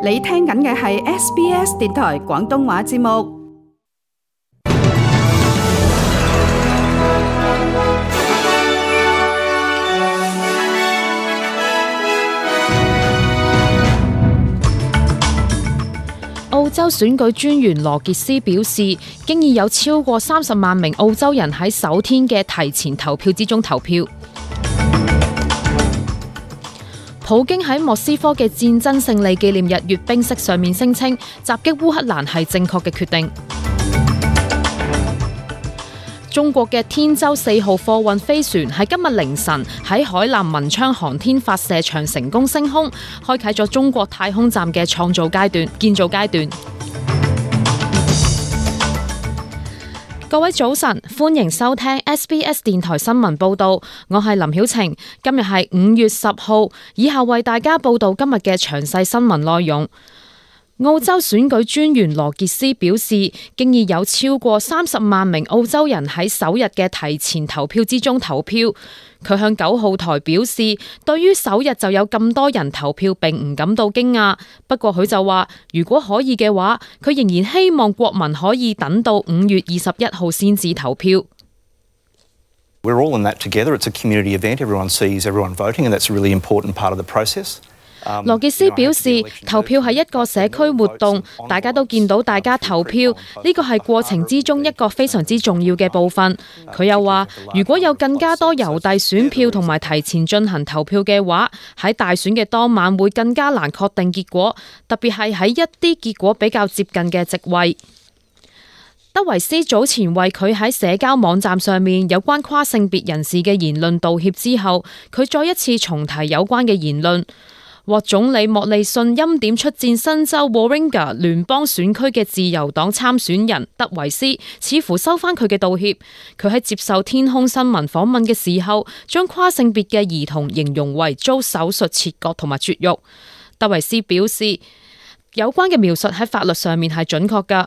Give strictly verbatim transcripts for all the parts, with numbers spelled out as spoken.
你聽緊嘅係 S B S 電台廣東話節目。澳洲選舉專員羅傑斯表示，經已有超過三十萬名澳洲人喺首天嘅提前投票之中投票。普京喺莫斯科嘅戰爭勝利紀念日閱兵式上面聲稱，襲擊烏克蘭係正確嘅決定。中國嘅天舟四號貨運飛船喺今日凌晨喺海南文昌航天發射場成功升空，開啟咗中國太空站嘅創造階段、建造階段。各位早晨，歡迎收聽 S B S 電台新聞報道，我係林曉晴。今日係五月十號，以下為大家報道今日嘅詳細新聞內容。澳洲選舉專員羅傑斯表示，經已有超過三十萬名澳洲人喺首日嘅提前投票之中投票。佢向九號台表示，對於首日就有咁多人投票並唔感到驚訝，不過佢就話，如果可以嘅話，佢仍然希望國民可以等到五月二十一號先至投票。We're all in that together. It's a community event. Everyone sees everyone voting, and that's a really important part of the process. 羅傑斯表示，投票係一個社區活動，大家都見到大家投票，呢個係過程之中一個非常之重要嘅部分。佢又話，如果有更加多郵遞選票同埋提前進行投票嘅話，喺大選嘅當晚會更加難確定結果，特別係喺一啲結果比較接近嘅席位。德維斯早前為佢喺社交網站上面有關跨性別人士嘅言論道歉之後，佢再一次重提有關嘅言論。獲總理莫利遜欽點出戰新州 Warringah 聯邦選區嘅自由黨參選人德維斯似乎收返佢嘅道歉。佢喺接受天空新聞訪問嘅時候，將跨性別嘅兒童形容為遭手術切割同埋絕育。德維斯表示，有關嘅描述喺法律上面係準確㗎。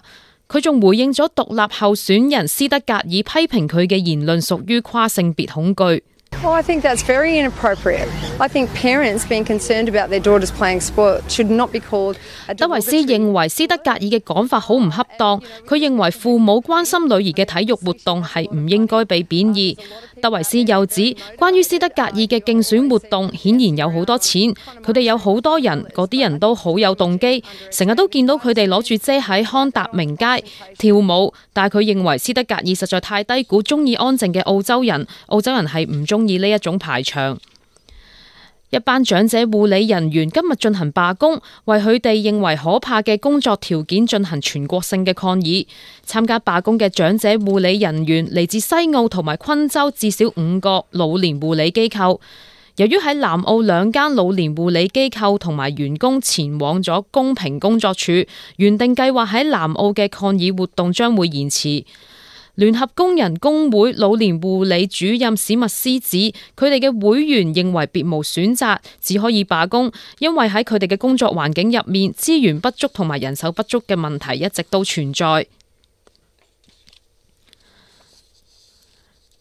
佢仲回應咗獨立候選人斯德格爾批評佢嘅言論屬於跨性別恐懼。Well, I think that's very inappropriate. I think parents being concerned about their daughters playing sport should not be called a 德維斯認為斯德格爾嘅講法好唔恰當，佢認為父母關心女兒嘅體育活動係唔應該被貶義。德維斯又指，關於斯德格爾嘅競選活動顯然有好多錢，佢哋有好多人，嗰啲人都好有動機，成日都見到佢哋攞住遮喺康達明街跳舞，但係佢認為斯德格爾實在太低估中意安靜嘅澳洲人，澳洲人係唔中意呢一種排場。一班長者護理人員今日進行罷工，為佢哋認為可怕嘅工作條件進行全國性嘅抗議。參加罷工嘅長者護理人員嚟自西澳同埋昆州至少五個老年護理機構。由於喺南澳兩間老年護理機構同埋員工前往咗公平工作處，原定計劃喺南澳嘅抗議活動將會延遲。聯合工人工會老年護理主任史密斯指，佢哋嘅會員認為別無選擇，只可以罷工，因為喺佢哋嘅工作環境入面，資源不足同埋人手不足嘅問題一直都存在。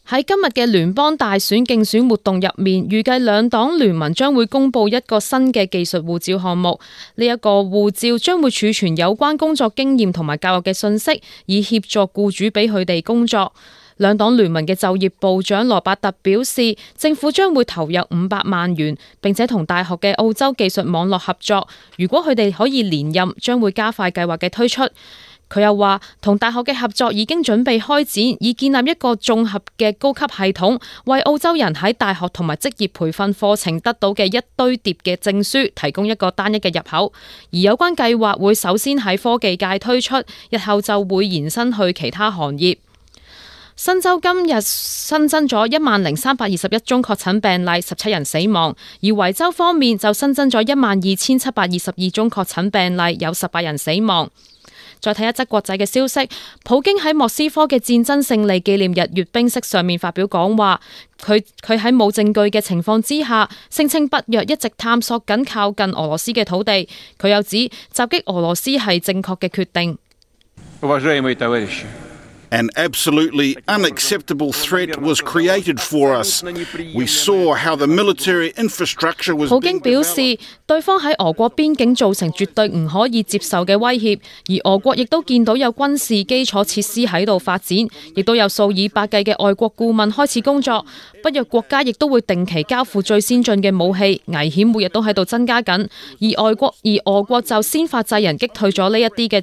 喺今日嘅聯邦大選競選活動入面，預計兩黨聯盟將會公布一個新嘅技術護照項目。呢、這、一個護照將會儲存有關工作經驗同埋教育嘅信息，以協助僱主俾佢哋工作。兩黨聯盟嘅就業部長羅伯特表示，政府將會投入五百萬元，並且同大學嘅澳洲技術網絡合作。如果佢哋可以連任，將會加快計劃嘅推出。佢又話，同大學嘅合作已經準備開展，以建立一個綜合嘅高級系統，為澳洲人喺大學同埋職業培訓課程得到嘅一堆疊嘅證書提供一個單一嘅入口。而有關計劃會首先喺科技界推出，日後就會延伸去其他行業。新州今日新增咗一萬零三百二十一宗確診病例，十七人死亡；而維州方面就新增咗一萬二千七百二十二宗確診病例，有十八人死亡。再睇一則國際嘅消息，普京喺莫斯科嘅戰爭勝利紀念日閱兵式上面發表講話，佢佢喺冇證據嘅情況之下，聲稱北約一直探索緊靠近俄羅斯嘅土地。佢又指襲擊俄羅斯係正確嘅決定。An absolutely unacceptable threat was created for us. We saw how the military infrastructure was being developed. 普京表示，對方喺俄國邊境造成絕對唔可以接受嘅威脅，而俄國亦都見到有軍事基礎設施喺度發展，亦都有數以百計嘅外國顧問開始工作。北約國家亦都會定期交付最先進嘅武器，危險每日都喺度增加緊。而外國而俄國就先發制人擊退咗呢一啲嘅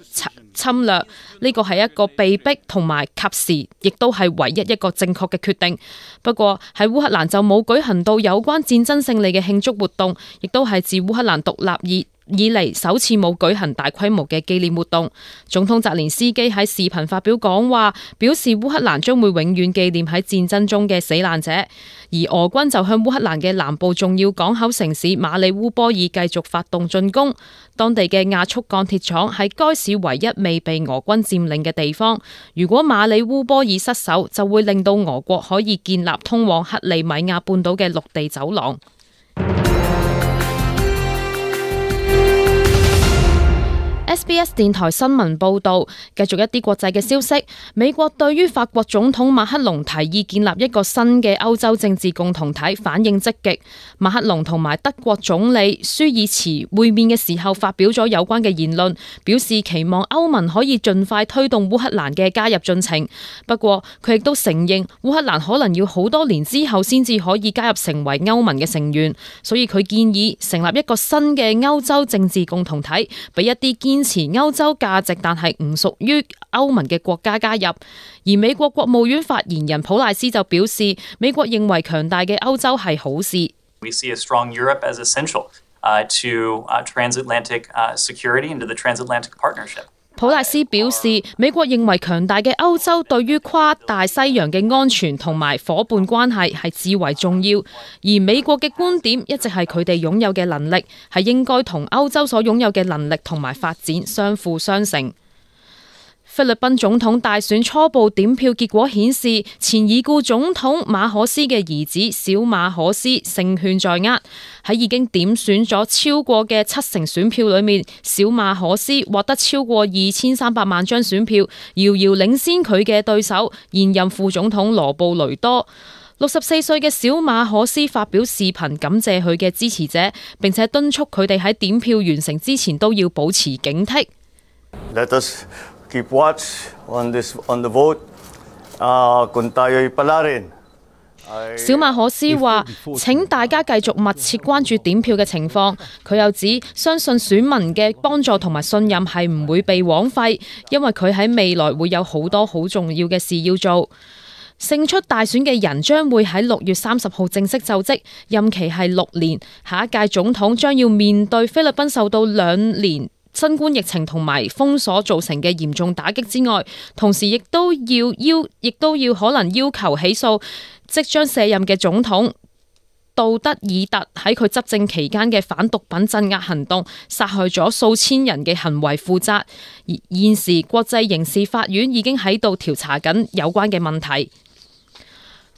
侵略，呢個係一個被逼同埋及時，亦都係唯一一個正確嘅決定。不過喺烏克蘭就冇舉行到有關戰爭勝利嘅慶祝活動，亦都係自烏克蘭獨立以以嚟首次冇舉行大規模嘅紀念活動。總統澤連斯基喺視頻發表講話，表示烏克蘭將會永遠紀念喺戰爭中嘅死難者。而俄軍就向烏克蘭嘅南部重要港口城市馬里烏波爾繼續發動進攻。當地嘅亞速鋼鐵廠係該市唯一未被俄軍佔領嘅地方。如果馬里烏波爾失守，就會令到俄國可以建立通往克里米亞半島嘅陸地走廊。S B S 電台新聞報道，繼續一啲國際嘅消息。美國對於法國總統馬克龍提議建立一個新嘅歐洲政治共同體反應積極。馬克龍同埋德國總理舒爾茨會面嘅時候發表咗有關嘅言論，表示期望歐盟可以盡快推動烏克蘭嘅加入進程。不過佢亦都承認烏克蘭可能要好多年之後先至可以加入成為歐盟嘅成員，所以佢建議成立一個新嘅歐洲政治共同體，俾一啲堅持歐洲價值但係唔屬於歐盟嘅國家加入。而美國國務院發言人普賴斯就表示，美國認為強大嘅歐洲係好事。We see a strong Europe as essential uh, to uh, transatlantic uh, security and to the transatlantic partnership. 普賴斯表示，美國認為強大嘅歐洲對於跨大西洋嘅安全同埋夥伴關係係至為重要，而美國嘅觀點一直係佢哋擁有嘅能力係應該同歐洲所擁有嘅能力同埋發展相輔相成。菲律賓總統大選初步點票結果顯示，前已故總統馬可斯嘅兒子小馬可斯勝券在握。喺已經點選咗超過嘅七成選票裏面，小馬可斯獲得超過二千三百萬張選票，遙遙領先佢嘅對手現任副總統羅布雷多。六十四歲嘅小馬可斯發表視頻感謝佢嘅支持者，並且敦促佢哋喺點票完成之前都要保持警惕。Let us keep watch on this on the vote. Uh, kung tayo'y palarin. 小馬可斯話：請大家繼續密切關注點票嘅情況。佢又指相信選民嘅幫助同埋信任係唔會被枉費，因為佢喺未來會有好多好重要嘅事要做。勝出大選嘅人將會喺六月三十號正式就職，任期係六年。下一屆總統將要面對菲律賓受到兩年新冠疫情同埋封鎖造成嘅嚴重打擊之外，同時亦都要要，亦都要可能要求起訴即將卸任嘅總統杜德爾特喺佢執政期間嘅反毒品鎮壓行動，殺害咗數千人嘅行為負責。而現時國際刑事法院已經喺度調查緊有關嘅問題。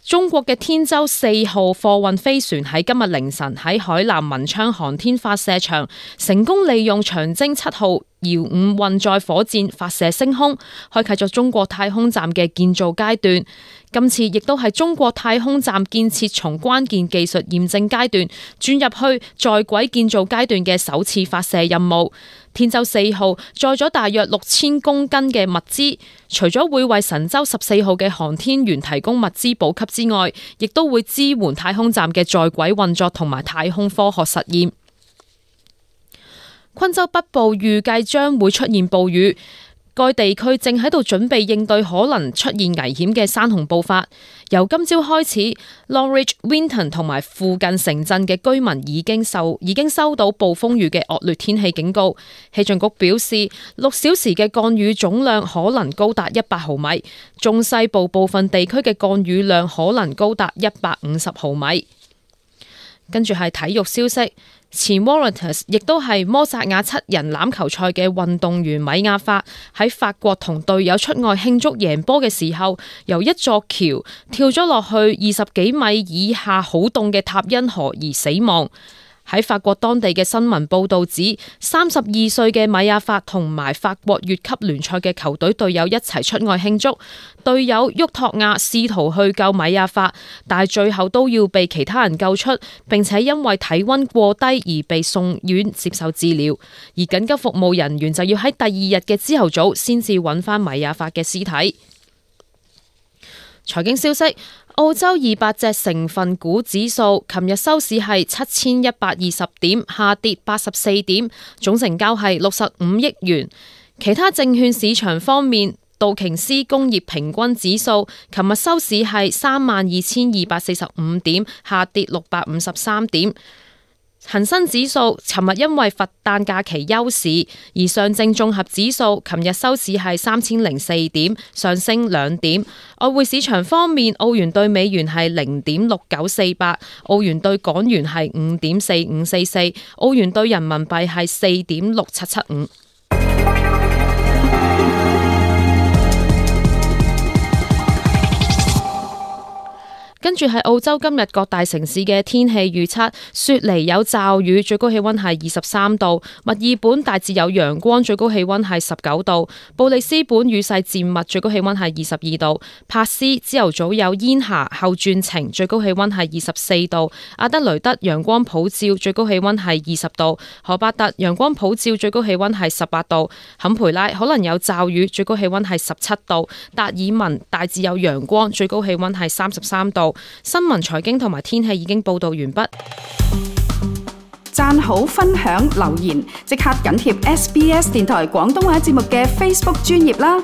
中國嘅天舟四號貨運飛船喺今日凌晨喺海南文昌航天發射場成功利用長征七號遙五運載火箭發射升空，開啟咗中國太空站嘅建造階段。今次亦都係中國太空站建設從關鍵技術驗證階段轉入去在軌建造階段嘅首次發射任務。天舟四號載咗大約六千公斤嘅物資，除咗會為神舟十四號嘅航天員提供物資補給之外，亦都會支援太空站嘅在軌運作同埋太空科學實驗。昆州北部預計將會出現暴雨，該地區正喺度準備應對可能出現危險嘅山洪暴發。由今朝開始 Longreach、Winton 同埋附近城鎮嘅居民已經受已經收到暴風雨嘅惡劣天氣警告。氣象局表示，六小時嘅降雨總量可能高達一百毫米，中西部部分地區嘅降雨量可能高達一百五十毫米。跟住係體育消息。前 Warriors 亦都係摩薩亞七人欖球賽嘅運動員米亞法喺法國同隊友出外慶祝贏波嘅時候，由一座橋跳咗落去二十幾米以下好凍嘅塔恩河而死亡。喺法國當地嘅新聞報導指，三十二歲嘅米亞法同埋法國乙級聯賽嘅球隊隊友一齊出外慶祝，隊友沃托亞試圖去救米亞法，但係最後都要被其他人救出，並且因為體溫過低而被送院接受治療，而緊急服務人員就要喺第二日嘅朝頭早先至揾返米亞法嘅屍體。財經消息。澳洲二百隻成分股指數琴日收市係七千一百二十點，下跌八十四點，總成交係六十五億元。其他證券市場方面，道瓊斯工業平均指數琴日收市係三萬二千二百四十五點，下跌六百五十三點。恒生指數尋日因為佛誕假期休市，而上證綜合指數琴日收市係三千零四點，上升兩點。外匯市場方面，澳元對美元係零點六九四八，澳元對港元係五點四五四四，澳元對人民幣係四點六七七五。跟住係澳洲今日各大城市嘅天氣預測：雪梨有驟雨，最高氣溫係二十三度；墨爾本大致有陽光，最高氣溫係十九度；布里斯本雨勢漸密，最高氣溫係二十二度；珀斯朝頭早有煙霞，後轉晴，最高氣溫係二十四度；阿德雷德陽光普照，最高氣溫係二十度；荷伯特陽光普照，最高氣溫係十八度；坎培拉可能有驟雨，最高氣溫係十七度；達爾文大致有陽光，最高氣溫係三十三度。新聞、財經同埋天氣已經報道完畢。讚好、分享、留言，即刻緊貼 S B S 電台廣東話節目嘅 Facebook 專頁啦！